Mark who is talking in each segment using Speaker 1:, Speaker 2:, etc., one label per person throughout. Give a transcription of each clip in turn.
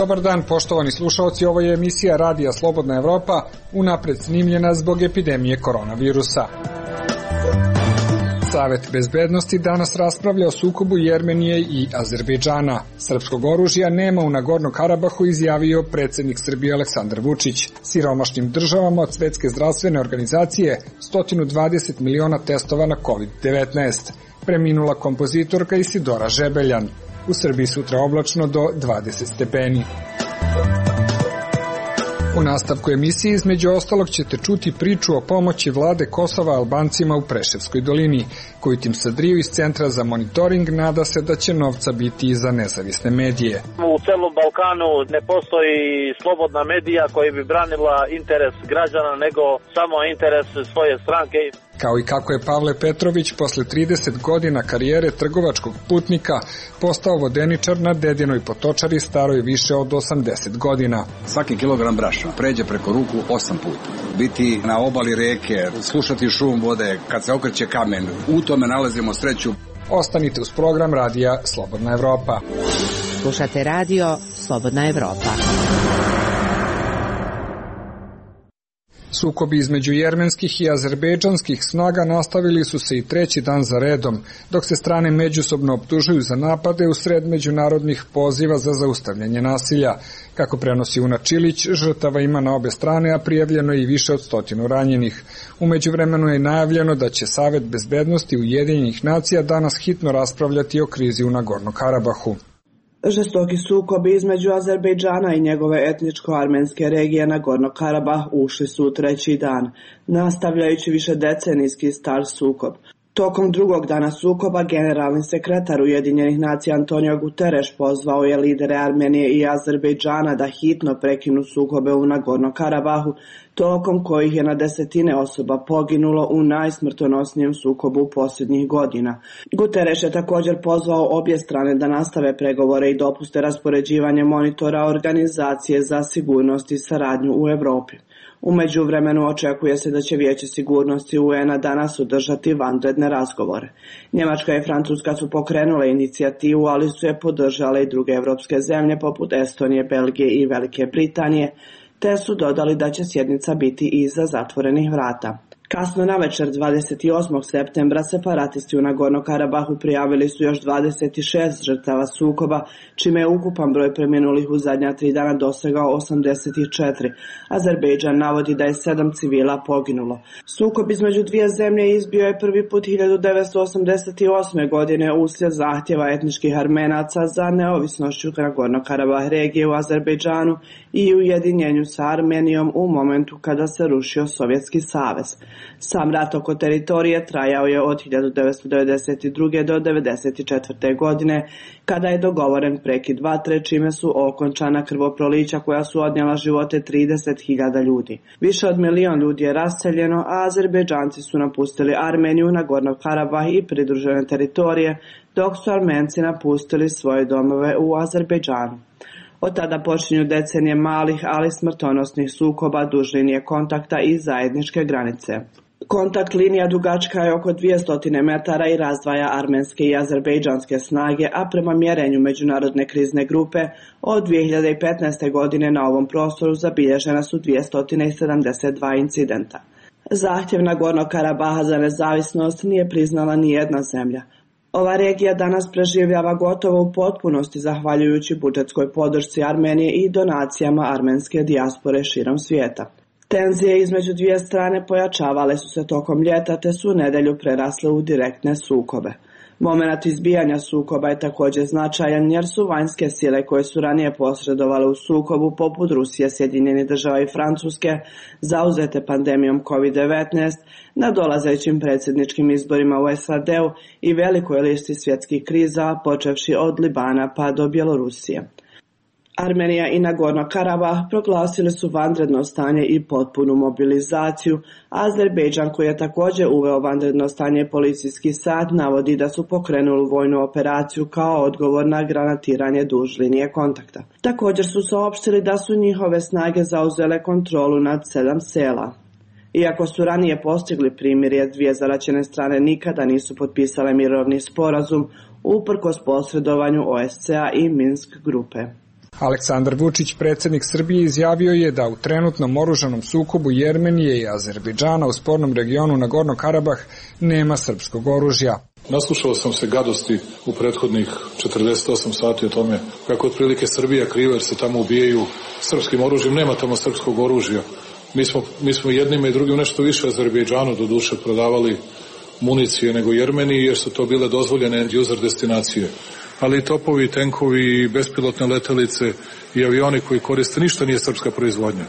Speaker 1: Dobar dan, poštovani slušaoci, ovo je emisija Radija Slobodna Evropa, unapred snimljena zbog epidemije koronavirusa. Savet bezbednosti danas raspravlja o sukobu Jermenije i Azerbejdžana. Srpskog oružja nema u Nagorno Karabahu, izjavio predsjednik Srbije Aleksandar Vučić. Siromašnim državama od Svetske zdravstvene organizacije 120 miliona testova na COVID-19. Preminula kompozitorka Isidora Žebeljan. U Srbiji sutra oblačno do 20 stepeni. U nastavku emisije između ostalog ćete čuti priču o pomoći vlade Kosova Albancima u Preševskoj dolini. Kojutim Sadriju iz Centra za monitoring nada se da će novca biti i za nezavisne medije.
Speaker 2: U celom Balkanu ne postoji slobodna medija koja bi branila interes građana nego samo interes svoje stranke.
Speaker 1: Kao i kako je Pavle Petrović posle 30 godina karijere trgovačkog putnika postao vodeničar na Dedinoj Potočari staroj više od 80 godina.
Speaker 3: Svaki kilogram brašna pređe preko ruku 8 puta. Biti na obali reke, slušati šum vode, kad se okreće kamen, u tome nalazimo sreću.
Speaker 1: Ostanite uz program Radija Slobodna Evropa.
Speaker 4: Slušate Radio Slobodna Evropa.
Speaker 1: Sukobi između jermenskih i azerbejdžanskih snaga nastavili su se i treći dan za redom, dok se strane međusobno optužuju za napade usred međunarodnih poziva za zaustavljanje nasilja. Kako prenosi Una Čilić, žrtava ima na obe strane, a prijavljeno je i više od 100 ranjenih. U međuvremenu je najavljeno da će Savet bezbednosti Ujedinjenih nacija danas hitno raspravljati o krizi u Nagorno Karabahu.
Speaker 5: Žestoki sukobi između Azerbejdžana i njegove etničko-armenske regije Nagorno Karabah ušli su u treći dan, nastavljajući višedecenijski star sukob. Tokom drugog dana sukoba generalni sekretar Ujedinjenih nacija Antonio Guterres pozvao je lidere Armenije i Azerbejdžana da hitno prekinu sukobe u Nagorno Karabahu, tokom kojih je na desetine osoba poginulo u najsmrtonosnijem sukobu posljednjih godina. Guterres je također pozvao obje strane da nastave pregovore i dopuste raspoređivanje monitora Organizacije za sigurnost i saradnju u Evropi. U međuvremenu očekuje se da će Vijeće sigurnosti UN-a danas održati vanredne razgovore. Njemačka i Francuska su pokrenule inicijativu, ali su je podržale i druge evropske zemlje poput Estonije, Belgije i Velike Britanije, te su dodali da će sjednica biti iza zatvorenih vrata. Kasno navečer 28. septembra separatisti u Nagorno Karabahu prijavili su još 26 žrtava sukoba, čime je ukupan broj preminulih u zadnja 3 dana dosegao 84. Azerbejdžan navodi da je 7 civila poginulo. Sukob između dvije zemlje izbio je prvi put 1988. godine uslijed zahtjeva etničkih Armenaca za neovisnošću Nagorno Karabah regije u Azerbejdžanu i ujedinjenju sa Armenijom u momentu kada se rušio Sovjetski savez. Sam rat oko teritorije trajao je od 1992. do 1994. godine, kada je dogovoren prekid vatre, čime su okončana krvoprolića koja su odnijela živote 30.000 ljudi. Više od 1 milion ljudi je raseljeno, a Azerbejdžanci su napustili Armeniju, Nagorno Karabah i pridružene teritorije, dok su Armenci napustili svoje domove u Azerbejdžanu. Od tada počinju decenije malih, ali smrtonosnih sukoba duž linije kontakta i zajedničke granice. Kontakt linija dugačka je oko 200 metara i razdvaja armenske i azerbejdžanske snage, a prema mjerenju Međunarodne krizne grupe od 2015. godine na ovom prostoru zabilježena su 272 incidenta. Zahtjev Nagorno Karabaha za nezavisnost nije priznala ni jedna zemlja. Ova regija danas preživljava gotovo u potpunosti zahvaljujući budžetskoj podršci Armenije i donacijama armenske dijaspore širom svijeta. Tenzije između dvije strane pojačavale su se tokom ljeta te su u nedjelju prerasle u direktne sukobe. Momenat izbijanja sukoba je također značajan jer su vanjske sile koje su ranije posredovale u sukobu poput Rusije, Sjedinjenih Država i Francuske zauzete pandemijom COVID-19 na dolazećim predsjedničkim izborima u SAD-u i velikoj listi svjetskih kriza počevši od Libana pa do Bjelorusije. Armenija i Nagorno Karabah proglasili su vanredno stanje i potpunu mobilizaciju, a Azerbejdžan, koji je također uveo vanredno stanje i policijski sat, navodi da su pokrenuli vojnu operaciju kao odgovor na granatiranje duž linije kontakta. Također su saopštili da su njihove snage zauzele kontrolu nad 7 sela. Iako su ranije postigli primirje, dvije zaraćene strane nikada nisu potpisale mirovni sporazum uprkos posredovanju OSCE-a i Minsk grupe.
Speaker 1: Aleksandar Vučić, predsjednik Srbije, izjavio je da u trenutnom oružanom sukobu Jermenije i Azerbejdžana u spornom regionu Nagorno Karabah nema srpskog oružja.
Speaker 6: Naslušao sam se gadosti u prethodnih 48 sati o tome kako otprilike Srbija kriva jer se tamo ubijaju srpskim oružjem. Nema tamo srpskog oružja. Mi smo jednima i drugim nešto više Azerbejdžanu do duše prodavali municije nego Jermeniji jer su to bile dozvoljene end-user destinacije. Ali i topovi, i tenkovi, i bespilotne letelice i avioni koji koriste ništa nije srpska proizvodnja.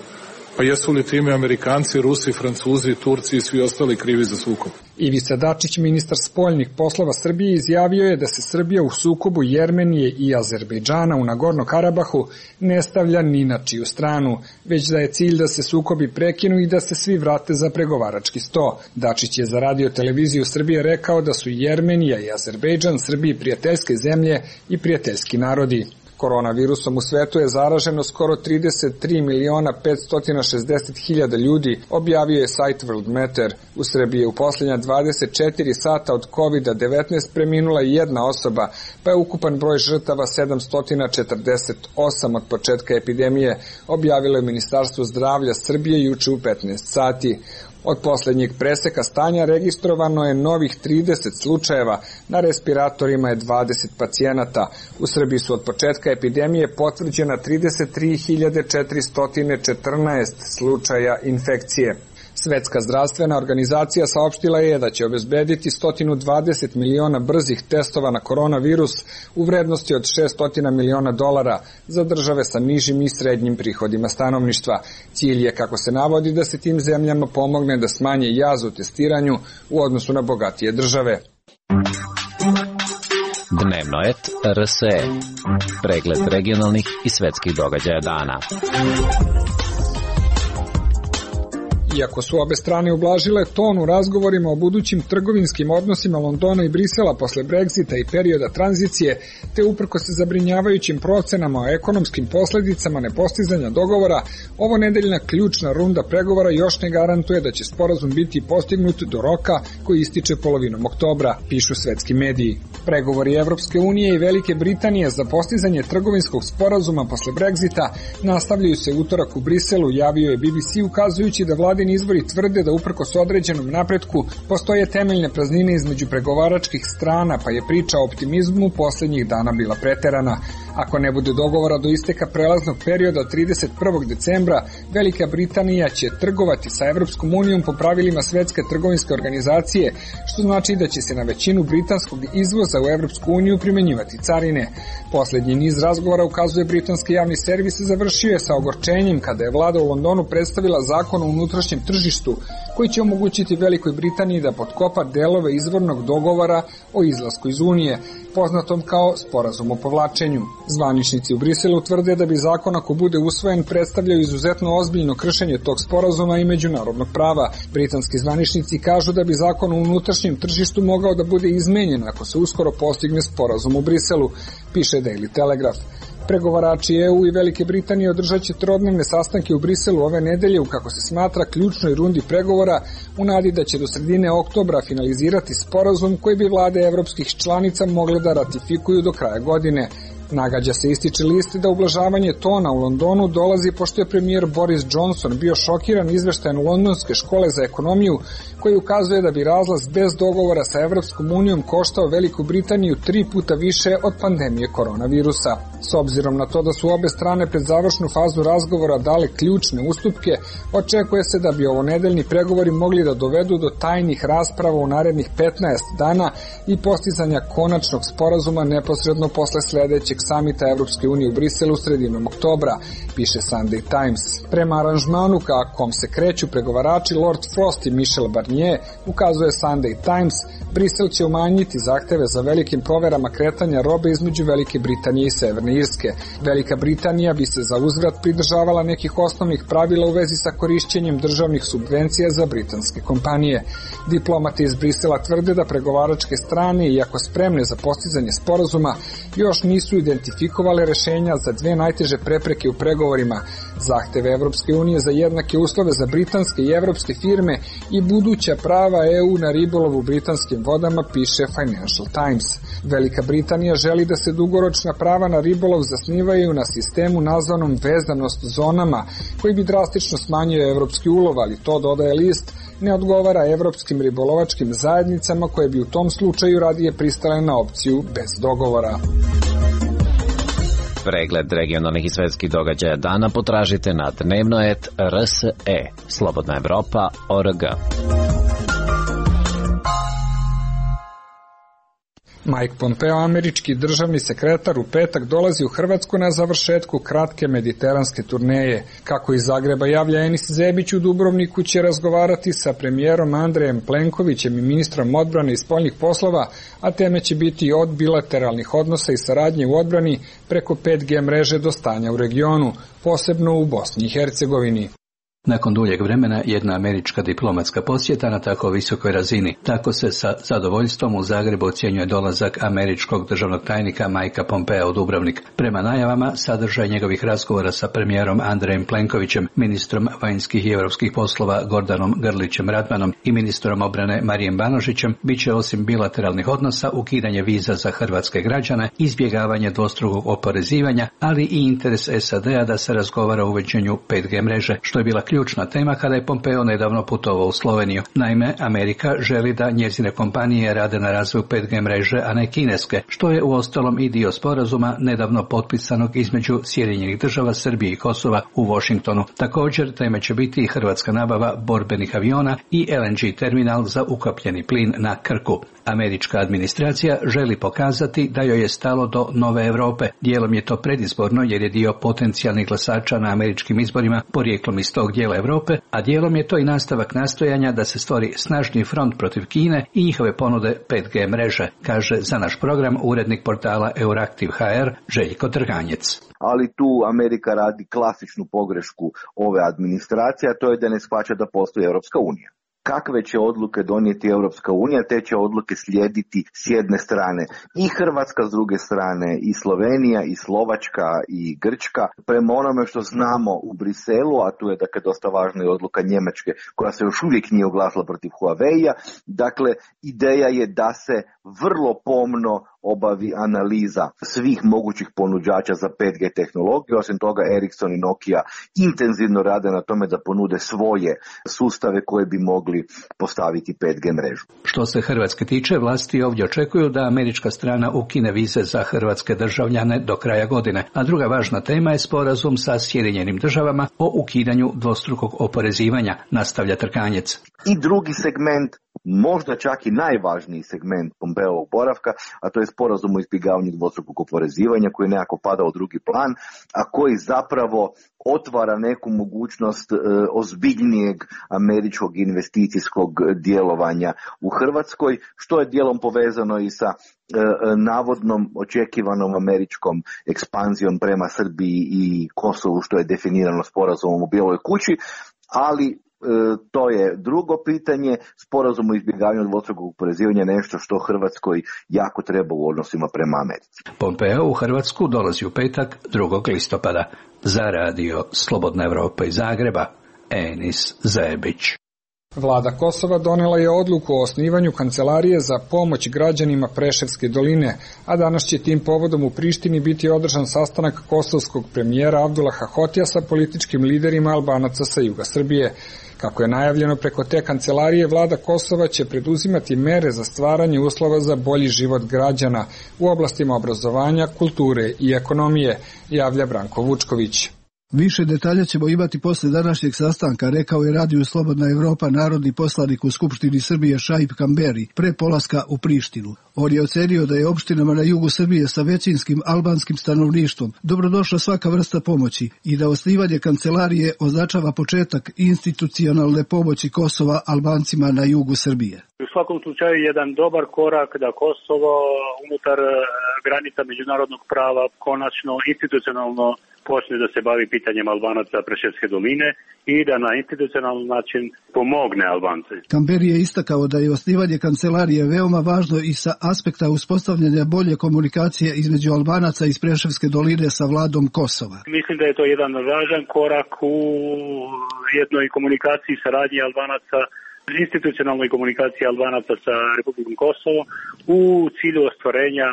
Speaker 6: Pa jesu li time Amerikanci, Rusi, Francuzi, Turci i svi ostali krivi za sukob?
Speaker 1: Ivica Dačić, ministar spoljnih poslova Srbije, izjavio je da se Srbija u sukobu Jermenije i Azerbejdžana u Nagorno Karabahu ne stavlja ni na čiju stranu, već da je cilj da se sukobi prekinu i da se svi vrate za pregovarački sto. Dačić je za Radio televiziju Srbije rekao da su Jermenija i Azerbejdžan Srbiji prijateljske zemlje i prijateljski narodi. Koronavirusom u svetu je zaraženo skoro 33.560.000 ljudi, objavio je sajt World Meter. U Srbiji je u posljednja 24 sata od COVID-19 preminula jedna osoba, pa je ukupan broj žrtava 748 od početka epidemije, objavilo je Ministarstvo zdravlja Srbije juče u 15 sati. Od posljednjeg preseka stanja registrovano je novih 30 slučajeva, na respiratorima je 20 pacijenata. U Srbiji su od početka epidemije potvrđena 33.414 slučaja infekcije. Svetska zdravstvena organizacija saopštila je da će obezbediti 120 miliona brzih testova na koronavirus u vrednosti od $600 miliona za države sa nižim i srednjim prihodima stanovništva. Cilj je, kako se navodi, da se tim zemljama pomogne da smanje jaz u testiranju u odnosu na bogatije države.
Speaker 7: Dnevnoet RSE. Pregled regionalnih i svetskih događaja dana.
Speaker 1: Iako su obe strane ublažile ton u razgovorima o budućim trgovinskim odnosima Londona i Brisela posle Brexita i perioda tranzicije, te uprkos zabrinjavajućim procenama o ekonomskim posledicama nepostizanja dogovora, ovo nedeljna ključna runda pregovora još ne garantuje da će sporazum biti postignut do roka koji ističe polovinom oktobra, pišu svetski mediji. Pregovori Evropske unije i Velike Britanije za postizanje trgovinskog sporazuma posle Brexita nastavljaju se utorak u Briselu, javio je BBC, ukazujući da vladini izvori tvrde da uprkos određenom napretku postoje temeljne praznine između pregovaračkih strana, pa je priča o optimizmu poslednjih dana bila preterana. Ako ne bude dogovora do isteka prelaznog perioda 31. decembra, Velika Britanija će trgovati sa Evropskom unijom po pravilima Svetske trgovinske organizacije, što znači da će se na većinu britanskog izvoza u Evropsku uniju primenjivati carine. Poslednji niz razgovora, ukazuje britanski javni servis, završio je sa ogorčenjem kada je vlada u Londonu predstavila zakon o unutrašnjem tržištu koji će omogućiti Velikoj Britaniji da potkopa delove izvornog dogovora o izlasku iz Unije, poznatom kao sporazum o povlačenju. Zvaničnici u Briselu tvrde da bi zakon, ako bude usvojen, predstavljao izuzetno ozbiljno kršenje tog sporazuma i međunarodnog prava. Britanski zvaničnici kažu da bi zakon o unutrašnjem tržištu mogao da bude izmenjen ako se uskoro postigne sporazum u Briselu, piše Daily Telegraph. Pregovarači EU i Velike Britanije održat će trodnevne sastanke u Briselu ove nedelje u, kako se smatra, ključnoj rundi pregovora u nadi da će do sredine oktobra finalizirati sporazum koji bi vlade evropskih članica mogle da ratifikuju do kraja godine. Nagađa se, ističe list, da ublažavanje tona u Londonu dolazi pošto je premijer Boris Johnson bio šokiran izveštajem Londonske škole za ekonomiju koji ukazuje da bi razlaz bez dogovora sa Evropskom unijom koštao Veliku Britaniju 3 puta više od pandemije koronavirusa. S obzirom na to da su obe strane pred završnu fazu razgovora dale ključne ustupke, očekuje se da bi ovonedeljni pregovori mogli da dovedu do tajnih rasprava u narednih 15 dana i postizanja konačnog sporazuma neposredno posle sledećeg samita Evropske unije u Briselu sredinom oktobra, piše Sunday Times. Prema aranžmanu kom se kreću pregovarači Lord Frost i Michel Barnier, ukazuje Sunday Times, Brisel će umanjiti zahteve za velikim proverama kretanja robe između Velike Britanije i Severne Irske. Velika Britanija bi se za uzvrat pridržavala nekih osnovnih pravila u vezi sa korišćenjem državnih subvencija za britanske kompanije. Diplomati iz Brisela tvrde da pregovaračke strane, iako spremne za postizanje sporazuma, još nisu identifikovale rešenja za dve najteže prepreke u pregovorima, zahteve Evropske unije za jednake uslove za britanske i evropske firme i buduća prava EU na ribolov u britanskim vodama, piše Financial Times. Velika Britanija želi da se dugoročna prava na ribolov zasnivaju na sistemu nazvanom vezdanost zonama, koji bi drastično smanjio evropski ulov, ali to, dodaje list, ne odgovara evropskim ribolovačkim zajednicama koje bi u tom slučaju radije pristale na opciju bez dogovora.
Speaker 7: Pregled regionalnih i svetskih događaja dana potražite na dnevnoet.rse, Slobodna Evropa.org.
Speaker 1: Mike Pompeo, američki državni sekretar, u petak dolazi u Hrvatsku na završetku kratke mediteranske turneje. Kako iz Zagreba javlja Enis Zebić, u Dubrovniku će razgovarati sa premijerom Andrejem Plenkovićem i ministrom odbrane i spoljnih poslova, a teme će biti od bilateralnih odnosa i saradnje u odbrani preko 5G mreže do stanja u regionu, posebno u Bosni i Hercegovini.
Speaker 8: Nakon duljeg vremena jedna američka diplomatska posjeta na tako visokoj razini. Tako se sa zadovoljstvom u Zagrebu ocjenjuje dolazak američkog državnog tajnika Mikea Pompea u Dubrovnik. Prema najavama, sadržaj njegovih razgovora sa premijerom Andrejem Plenkovićem, ministrom vanjskih i europskih poslova Gordanom Grlićem Radmanom i ministrom obrane Marijem Banožićem bit će osim bilateralnih odnosa ukidanje viza za hrvatske građane, izbjegavanje dvostrukog oporezivanja, ali i interes SAD-a da se razgovara o uvođenju 5G mreže, što je bila ključna tema kada je Pompeo nedavno putovao u Sloveniju. Naime, Amerika želi da njezine kompanije rade na razvoju 5G mreže, a ne kineske, što je uostalom i dio sporazuma nedavno potpisanog između Sjedinjenih država, Srbije i Kosova u Washingtonu. Također, teme će biti i hrvatska nabava borbenih aviona i LNG terminal za ukapljeni plin na Krku. Američka administracija želi pokazati da joj je stalo do nove Europe. Dijelom je to predizborno jer je dio potencijalnih glasača na američkim izborima porijeklom iz tog dijela Europe, a dijelom je to i nastavak nastojanja da se stvori snažni front protiv Kine i njihove ponude 5G mreže, kaže za naš program urednik portala Euraktiv.hr Željko Trganjec.
Speaker 9: Ali tu Amerika radi klasičnu pogrešku ove administracije, a to je da ne shvaća da postoji Europska unija. Kakve će odluke donijeti Europska unija, te će odluke slijediti s jedne strane i Hrvatska, s druge strane i Slovenija, i Slovačka, i Grčka. Prema onome što znamo u Briselu, a tu je dakle dosta važna i odluka Njemačke koja se još uvijek nije oglasila protiv Huawei-a, dakle ideja je da se vrlo pomno obavi analiza svih mogućih ponuđača za 5G tehnologiju. Osim toga, Ericsson i Nokia intenzivno rade na tome da ponude svoje sustave koje bi mogli postaviti 5G mrežu.
Speaker 8: Što se Hrvatske tiče, vlasti ovdje očekuju da američka strana ukine vize za hrvatske državljane do kraja godine, a druga važna tema je sporazum sa Sjedinjenim državama o ukidanju dvostrukog oporezivanja, nastavlja Trkanjec.
Speaker 9: I drugi segment, možda čak i najvažniji segment Pompeovog boravka, a to je sporazum o izbjegavanju dvostrukog oporezivanja koji nekako pada u drugi plan, a koji zapravo otvara neku mogućnost ozbiljnijeg američkog investicijskog djelovanja u Hrvatskoj, što je dijelom povezano i sa navodnom očekivanom američkom ekspanzijom prema Srbiji i Kosovu, što je definirano sporazumom u Bijeloj kući, ali to je drugo pitanje. Sporazum o izbjegavanju dvostrukog oporezivanja je nešto što Hrvatskoj jako treba u odnosima prema Americi.
Speaker 8: Pompeo u Hrvatsku dolazi u petak 2. listopada. Za radio Slobodna Evropa iz Zagreba, Enis Zebić.
Speaker 1: Vlada Kosova donela je odluku o osnivanju kancelarije za pomoć građanima Preševske doline, a danas će tim povodom u Prištini biti održan sastanak kosovskog premijera Abdullaha Hotija sa političkim liderima Albanaca sa juga Srbije. Kako je najavljeno, preko te kancelarije vlada Kosova će preduzimati mere za stvaranje uslova za bolji život građana u oblastima obrazovanja, kulture i ekonomije, javlja Branko Vučković.
Speaker 10: Više detalja ćemo imati posle današnjeg sastanka, rekao je Radio Slobodna Evropa narodni poslanik u Skupštini Srbije Šaip Kamberi pre polaska u Prištinu. On je ocenio da je opštinama na jugu Srbije sa većinskim albanskim stanovništvom dobrodošla svaka vrsta pomoći i da osnivanje kancelarije označava početak institucionalne pomoći Kosova Albancima na jugu Srbije.
Speaker 11: U svakom slučaju jedan dobar korak da Kosovo unutar granica međunarodnog prava konačno institucionalno počne da se bavi pitanjem Albanaca Preševske doline i da na institucionalni način pomogne Albance.
Speaker 10: Kamberi je istakao da je osnivanje kancelarije veoma važno i sa aspekta uspostavljanja bolje komunikacije između Albanaca iz Preševske doline sa vladom Kosova.
Speaker 11: Mislim da je to jedan važan korak u jednoj komunikaciji saradnje Albanaca, institucionalnoj komunikaciji Albanaca sa Republikom Kosovo u cilju ostvarenja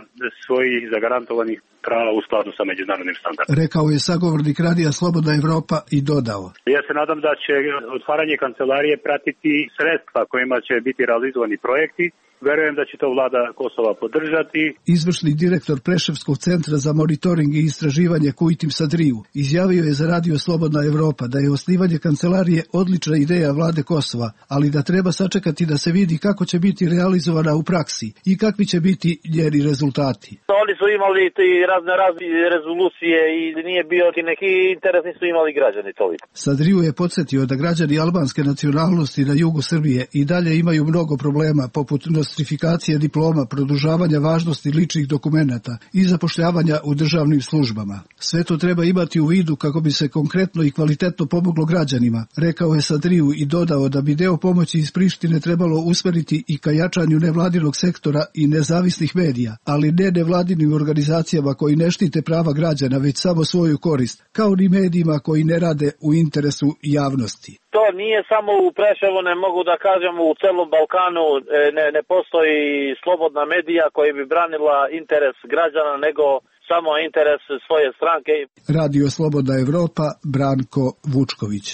Speaker 11: svojih zagarantovanih prava u skladu sa međunarodnim standardima.
Speaker 10: Rekao je sagovornik Radija Slobodna Evropa i dodao.
Speaker 11: Ja se nadam da će otvaranje kancelarije pratiti sredstva kojima će biti realizovani projekti. Verujem da će to vlada Kosova podržati.
Speaker 10: Izvršni direktor Preševskog centra za monitoring i istraživanje Kujtim Sadriju izjavio je za Radio Slobodna Evropa da je osnivanje kancelarije odlična ideja vlade Kosova, ali da treba sačekati da se vidi kako će biti realizovana u praksi i kakvi će biti njeni rezultati.
Speaker 2: Oni su imali razne rezolucije i nije bio neki interes, nisu imali građani toliko.
Speaker 10: Sadriju je podsjetio da građani albanske nacionalnosti na jugu Srbije i dalje imaju mnogo problema poput nostrifikacije diploma, produžavanja važnosti ličnih dokumenata i zapošljavanja u državnim službama. Sve to treba imati u vidu kako bi se konkretno i kvalitetno pomoglo građanima, rekao je Sadriju i dodao da bi deo pomoći iz Prištine trebalo usmeriti i ka jačanju nevladinog sektora i nezavisnih medija, ali ne nevladinim organizacijama koji ne štite prava građana, već samo svoju korist, kao ni medijima koji ne rade u interesu javnosti.
Speaker 2: To nije samo u Preševu, ne mogu da kažem u celom Balkanu, ne postoji slobodna medija koja bi branila interes građana, nego samo interes svoje stranke.
Speaker 10: Radio Slobodna Evropa, Branko Vučković.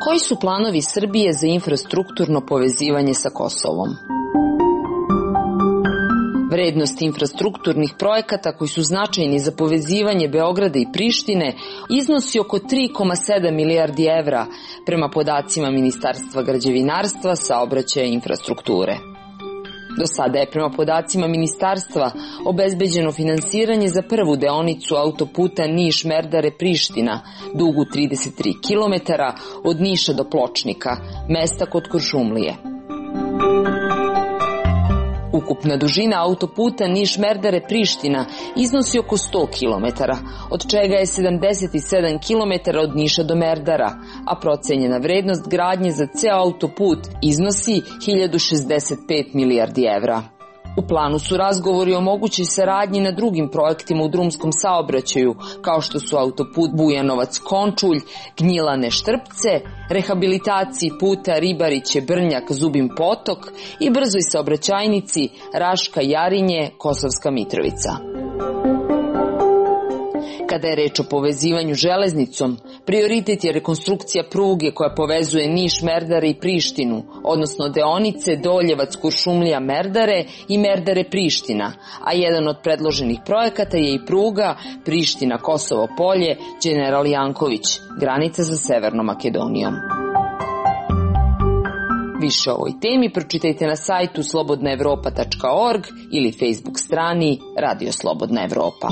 Speaker 12: Koji su planovi Srbije za infrastrukturno povezivanje sa Kosovom? Vrednost infrastrukturnih projekata koji su značajni za povezivanje Beograda i Prištine iznosi oko 3,7 milijardi evra prema podacima Ministarstva građevinarstva, saobraćaja i infrastrukture. Do sada je prema podacima ministarstva obezbeđeno finansiranje za prvu deonicu autoputa Niš-Merdare-Priština, dugu 33 km od Niša do Pločnika, mesta kod Kuršumlije. Ukupna dužina autoputa Niš-Merdare-Priština iznosi oko 100 km, od čega je 77 km od Niša do Merdara, a procenjena vrednost gradnje za ceo autoput iznosi 1065 milijardi evra. U planu su razgovori o mogućoj saradnji na drugim projektima u drumskom saobraćaju, kao što su autoput Bujanovac-Končulj, Gnjilane-Štrpce, rehabilitaciji puta Ribariće-Brnjak-Zubin Potok i brzoj saobraćajnici Raška-Jarinje-Kosovska Mitrovica. Kada je reč o povezivanju železnicom, prioritet je rekonstrukcija pruge koja povezuje Niš, Merdare i Prištinu, odnosno deonice Doljevac-Kuršumlija-Merdare i Merdare-Priština, a jedan od predloženih projekata je i pruga Priština-Kosovo Polje, General Janković, granica sa Severnom Makedonijom. Više o ovoj temi pročitajte na sajtu slobodnaevropa.org ili Facebook strani Radio Slobodna Evropa.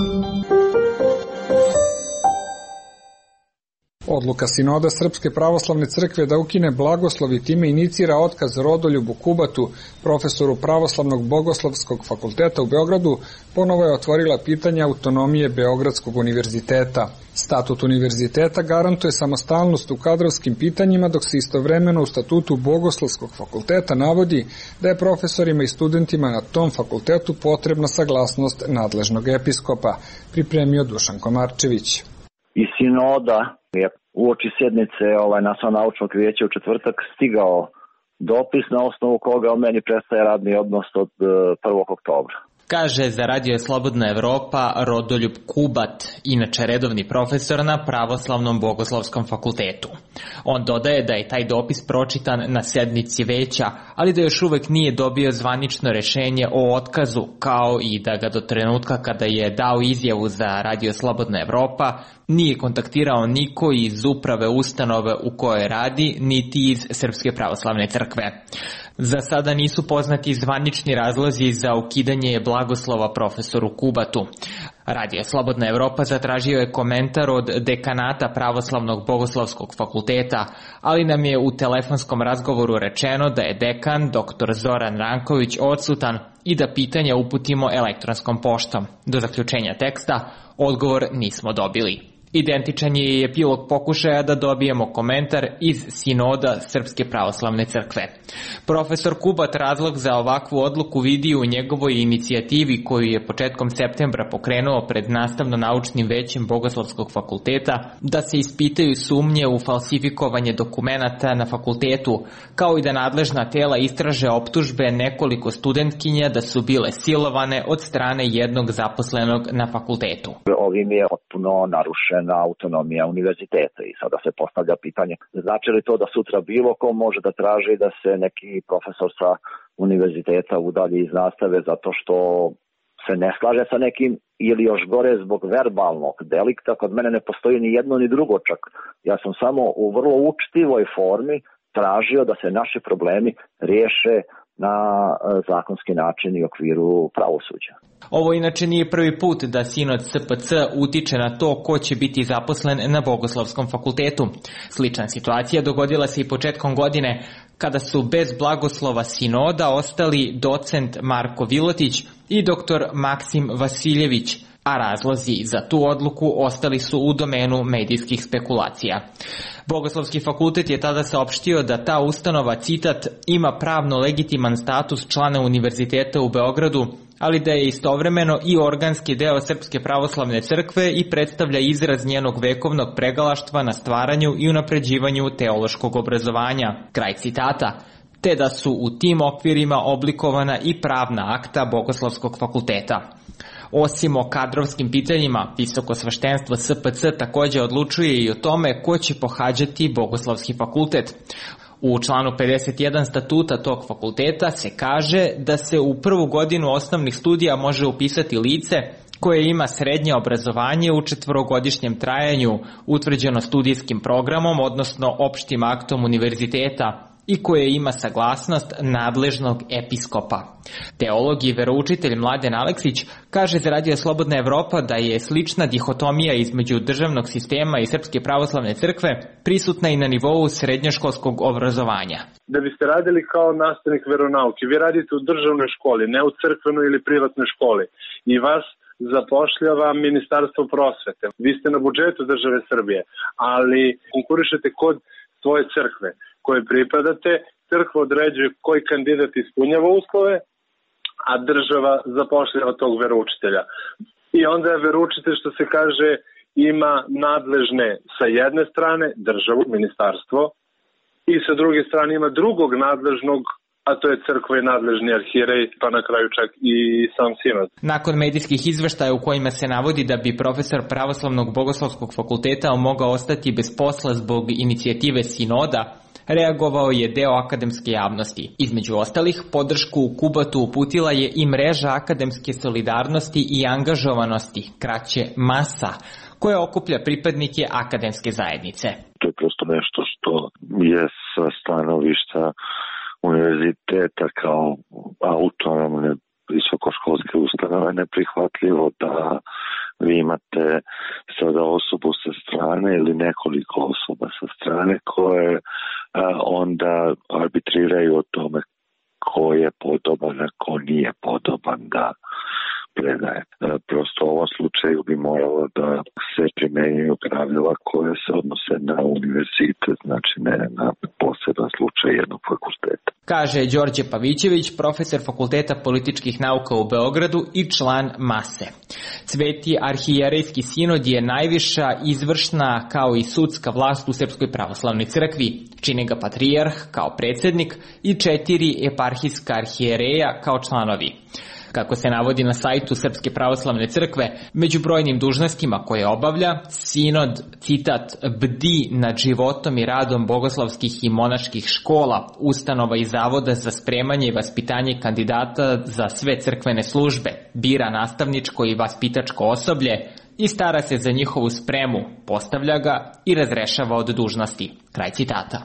Speaker 1: Odluka Sinoda Srpske pravoslavne crkve da ukine blagoslov i time inicira otkaz Rodoljubu Kubatu, profesoru Pravoslavnog bogoslovskog fakulteta u Beogradu, ponovo je otvorila pitanje autonomije Beogradskog univerziteta. Statut univerziteta garantuje samostalnost u kadrovskim pitanjima, dok se istovremeno u statutu Bogoslovskog fakulteta navodi da je profesorima i studentima na tom fakultetu potrebna saglasnost nadležnog episkopa, pripremio Dušan Komarčević.
Speaker 13: Iz Sinoda je uoči sjednice Nacionalnog naučnog vijeća u četvrtak stigao dopis na osnovu koga o meni prestaje radni odnos od 1. oktobra.
Speaker 14: Kaže za Radio Slobodna Evropa Rodoljub Kubat, inače redovni profesor na Pravoslavnom bogoslovskom fakultetu. On dodaje da je taj dopis pročitan na sednici veća, ali da još uvek nije dobio zvanično rešenje o otkazu, kao i da ga do trenutka kada je dao izjavu za Radio Slobodna Evropa nije kontaktirao niko iz uprave ustanove u kojoj radi, niti iz Srpske pravoslavne crkve. Za sada nisu poznati zvanični razlozi za ukidanje blagoslova profesoru Kubatu. Radio Slobodna Evropa zatražio je komentar od dekanata Pravoslavnog bogoslovskog fakulteta, ali nam je u telefonskom razgovoru rečeno da je dekan, dr. Zoran Ranković, odsutan i da pitanja uputimo elektronskom poštom. Do zaključenja teksta odgovor nismo dobili. Identičan je epilog pokušaja da dobijemo komentar iz Sinoda Srpske pravoslavne crkve. Profesor Kubat razlog za ovakvu odluku vidi u njegovoj inicijativi koju je početkom septembra pokrenuo pred Nastavno-naučnim većem Bogoslovskog fakulteta da se ispitaju sumnje u falsifikovanje dokumenata na fakultetu, kao i da nadležna tela istraže optužbe nekoliko studentkinja da su bile silovane od strane jednog zaposlenog na fakultetu.
Speaker 13: Ovim je potpuno narušena autonomija univerziteta i sada se postavlja pitanje, znači li to da sutra bilo ko može da traži da se neki profesor sa univerziteta udalji iz nastave zato što se ne slaže sa nekim ili još gore zbog verbalnog delikta. Kod mene ne postoji ni jedno ni drugo čak. Ja sam samo u vrlo učtivoj formi tražio da se naši problemi riješe na zakonski način i okviru pravosuđa.
Speaker 14: Ovo inače nije prvi put da Sinod SPC utiče na to ko će biti zaposlen na Bogoslovskom fakultetu. Slična situacija dogodila se i početkom godine kada su bez blagoslova Sinoda ostali docent Marko Vilotić i dr. Maksim Vasiljević, a razlozi za tu odluku ostali su u domenu medijskih spekulacija. Bogoslovski fakultet je tada saopštio da ta ustanova, citat, ima pravno legitiman status člana univerziteta u Beogradu, ali da je istovremeno i organski deo Srpske pravoslavne crkve i predstavlja izraz njenog vekovnog pregalaštva na stvaranju i unapređivanju teološkog obrazovanja. Kraj citata. Te da su u tim okvirima oblikovana i pravna akta Bogoslovskog fakulteta. Osim o kadrovskim pitanjima, Visokosveštenstvo SPC također odlučuje i o tome ko će pohađati Bogoslovski fakultet. U članu 51 statuta tog fakulteta se kaže da se u prvu godinu osnovnih studija može upisati lice koje ima srednje obrazovanje u 4-godišnjem trajanju, utvrđeno studijskim programom, odnosno opštim aktom univerziteta, i koje ima saglasnost nadležnog episkopa. Teolog i veroučitelj Mladen Aleksić kaže za Radio Slobodna Evropa da je slična dihotomija između državnog sistema i Srpske pravoslavne crkve prisutna i na nivou srednjoškolskog obrazovanja.
Speaker 15: Da biste radili kao nastavnik veronauke, vi radite u državnoj školi, ne u crkvenoj ili privatnoj školi, i vas zapošljava Ministarstvo prosvete. Vi ste na budžetu države Srbije, ali konkurišete kod svoje crkve koje pripadate, crkva određuje koji kandidat ispunjava uslove, a država zapošljava tog veroučitelja. I onda je veroučitelj, što se kaže, ima nadležne sa jedne strane državu, ministarstvo, i sa druge strane ima drugog nadležnog, a to je crkva i nadležni arhijerej, pa na kraju čak i sam sinod.
Speaker 14: Nakon medijskih izveštaja u kojima se navodi da bi profesor Pravoslavnog bogoslovskog fakulteta mogao ostati bez posla zbog inicijative sinoda, reagovao je deo akademske javnosti. Između ostalih, podršku Kubatu uputila je i mreža akademske solidarnosti i angažovanosti, kraće MASA, koja okuplja pripadnike akademske zajednice.
Speaker 16: To je prosto nešto što je sa stanovišta univerziteta kao autonomne visokoškolske ustanove neprihvatljivo da vi imate sada osobu sa strane ili nekoliko osoba sa strane koje onda arbitriraju o tome ko je podoban, a ko nije podoban da predaje. Prosto u ovom slučaju bi moralo da se primenjuju pravila koje se odnose na univerzitet, znači ne na poseban slučaj jednog fakulteta.
Speaker 14: Kaže Đorđe Pavićević, profesor Fakulteta političkih nauka u Beogradu i član MASE. Sveti arhijerejski sinod je najviša izvršna kao i sudska vlast u Srpskoj pravoslavnoj crkvi. Čine ga patrijarh kao predsjednik i 4 eparhijska arhijereja kao članovi. Kako se navodi na sajtu Srpske pravoslavne crkve, među brojnim dužnostima koje obavlja, sinod, citat, bdi nad životom i radom bogoslovskih i monaških škola, ustanova i zavoda za spremanje i vaspitanje kandidata za sve crkvene službe, bira nastavničko i vaspitačko osoblje i stara se za njihovu spremu, postavlja ga i razrešava od dužnosti. Kraj citata.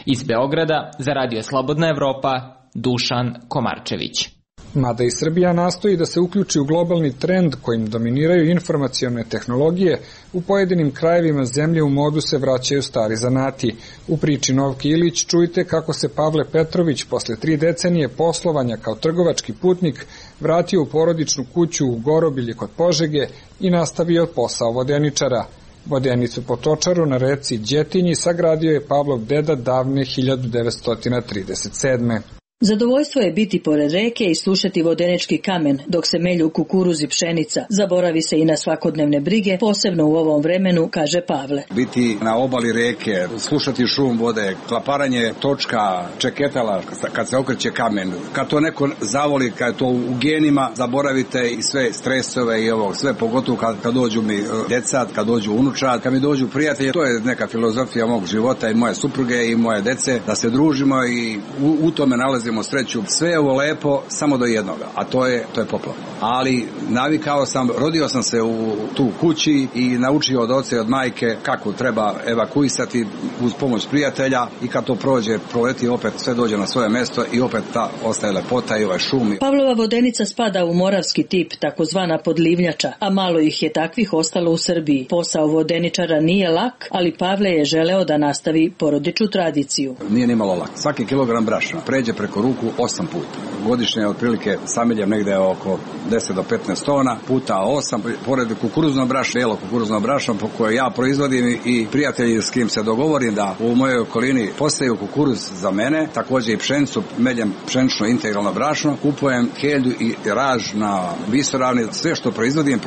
Speaker 14: Iz Beograda za Radio Slobodna Evropa, Dušan Komarčević.
Speaker 1: Mada i Srbija nastoji da se uključi u globalni trend kojim dominiraju informacione tehnologije, u pojedinim krajevima zemlje u modu se vraćaju stari zanati. U priči Novke Ilić čujte kako se Pavle Petrović posle 3 decenije poslovanja kao trgovački putnik vratio u porodičnu kuću u Gorobilje kod Požege i nastavio posao vodeničara. Vodenicu po Točaru na reci Đetinji sagradio je Pavlov deda davne 1937.
Speaker 17: Zadovoljstvo je biti pored reke i slušati vodenički kamen dok se melju kukuruz i pšenica. Zaboravi se i na svakodnevne brige, posebno u ovom vremenu, kaže Pavle.
Speaker 3: Biti na obali reke, slušati šum vode, klaparanje točka, čeketala kad se okreće kamen. Kad to neko zavoli, kad je to u genima, zaboravite i sve stresove i ovo, sve pogotovo kad dođu mi deca, kad dođu unučad, kad mi dođu prijatelji. To je neka filozofija mog života i moje supruge i moje dece, da se družimo i u tome nalazimo sreću. Sve je ovo lepo samo do jednoga, a to je poplav. Ali navikao sam, rodio sam se u tu kući i naučio od oca i od majke kako treba evakuisati uz pomoć prijatelja i kad to prođe, proleti opet sve dođe na svoje mesto i opet ta ostaje lepota i ovaj šum.
Speaker 17: Pavlova vodenica spada u moravski tip, takozvana podlivnjača, a malo ih je takvih ostalo u Srbiji. Posao vodeničara nije lak, ali Pavle je želeo da nastavi porodičnu tradiciju.
Speaker 3: Nije ni malo lak. Svaki kilogram brašna pređe preko ruku 8 puta. Godišnje otprilike sameljem negde oko 10 do 15 tona, puta 8, pored kukuruzno brašno, bijelo kukuruzno brašno koje ja proizvodim i prijatelji s kim se dogovorim da u mojoj okolini postaju kukuruz za mene, također i pšenicu, meljem pšenično integralno brašno, kupujem kelju i raž na visoravni, sve što proizvodim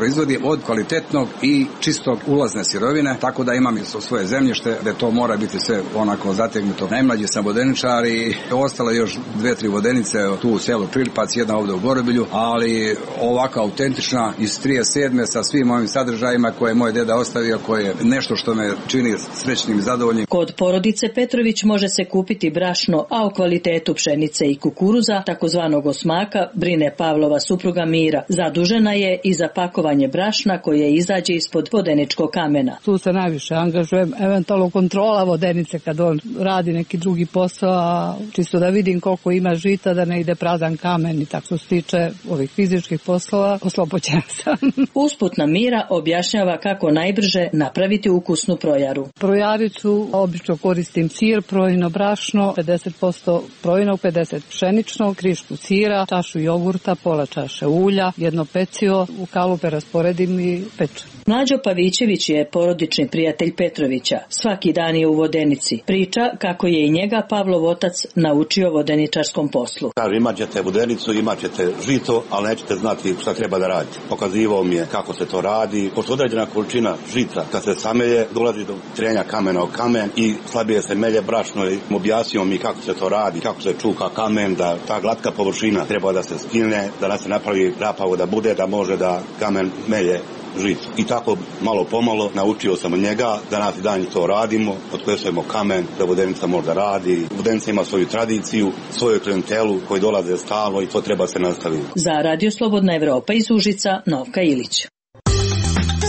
Speaker 3: od kvalitetnog i čistog ulazne sirovine, tako da imam svoje zemljište gde to mora biti sve onako zategnuto. Najmlađi sam vodeničar i ostalo još 2-3 vodenice tu u selu Prilipac, jedna ovde u Gorobilju, ali ovako autentična iz 37. sa svim ovim sadržajima koje je moj deda ostavio, koje je nešto što me čini srećnim i zadovoljnim.
Speaker 17: Kod porodice Petrović može se kupiti brašno, a o kvalitetu pšenice i kukuruza, takozvanog osmaka, brine Pavlova supruga Mira. Zadužena je i za pakovanje brašna koje izađe ispod vodeničkog kamena.
Speaker 18: Tu se najviše angažujem, eventualno kontrola vodenice kad on radi neki drugi posao, a čisto da vidim koliko ima žita, da ne ide prazan kamen i tako se tiče ovih fizičkih poslova, oslobođena sam.
Speaker 17: Usputna Mira objašnjava kako najbrže napraviti ukusnu projaru.
Speaker 18: Projaricu obično koristim sir, projino brašno, 50% projinog, 50 pšeničnog, krišku sira, čašu jogurta, pola čaše ulja, jedno pecivo, u kalupe rasporedim i pečem.
Speaker 17: Mlađo Pavićević je porodični prijatelj Petrovića. Svaki dan je u vodenici. Priča kako je i njega Pavlov otac naučio vodeničarskom poslu.
Speaker 19: Kaže, imat ćete vodenicu, imat ćete žito, ali nećete znati šta treba da radite. Pokazivao mi je kako se to radi. Pošto određena količina žita, kad se samelje, dolazi do trenja kamena o kamen i slabije se melje brašno i objasnio mi kako se to radi, kako se čuka kamen, da ta glatka površina treba da se skine, da se napravi rapavo da bude, da može da kamen melje žito. I tako malo pomalo naučio sam od njega da nas i dan to radimo, otklesujemo kamen, da vodenica može da radi. Vodenica ima svoju tradiciju, svoju klijentelu koji dolaze stalno i to treba se nastaviti.
Speaker 17: Za Radio Slobodna Evropa iz Užica, Novka Ilić.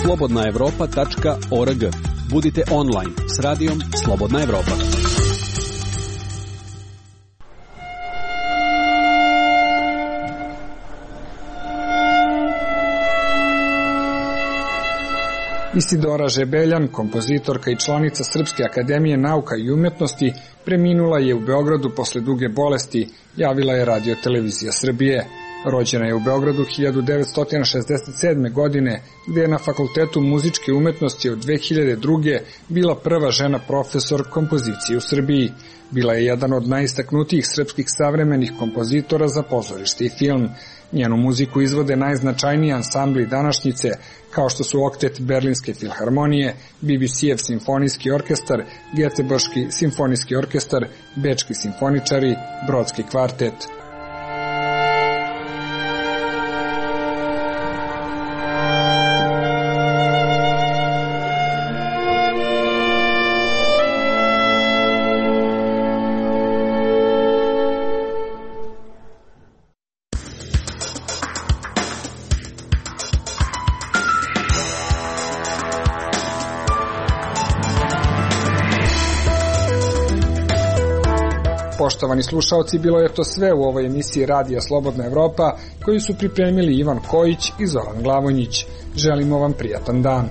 Speaker 20: slobodnaevropa.org. Budite online s radijom Slobodna Evropa.
Speaker 1: Isidora Žebeljan, kompozitorka i članica Srpske akademije nauka i umetnosti, preminula je u Beogradu posle duge bolesti, javila je Radio Televizija Srbije. Rođena je u Beogradu 1967. godine, gde je na Fakultetu muzičke umetnosti od 2002. bila prva žena profesor kompozicije u Srbiji. Bila je jedan od najistaknutijih srpskih savremenih kompozitora za pozorište i film. Njenu muziku izvode najznačajniji ansambli današnjice, kao što su Oktet Berlinske filharmonije, BBC-ev simfonijski orkestar, Geteboški simfonijski orkestar, Bečki simfoničari, Brodski kvartet. Poštovani slušaoci, bilo je to sve u ovoj emisiji Radija Slobodna Evropa koju su pripremili Ivan Kojić i Zoran Glavonjić. Želimo vam prijatan dan.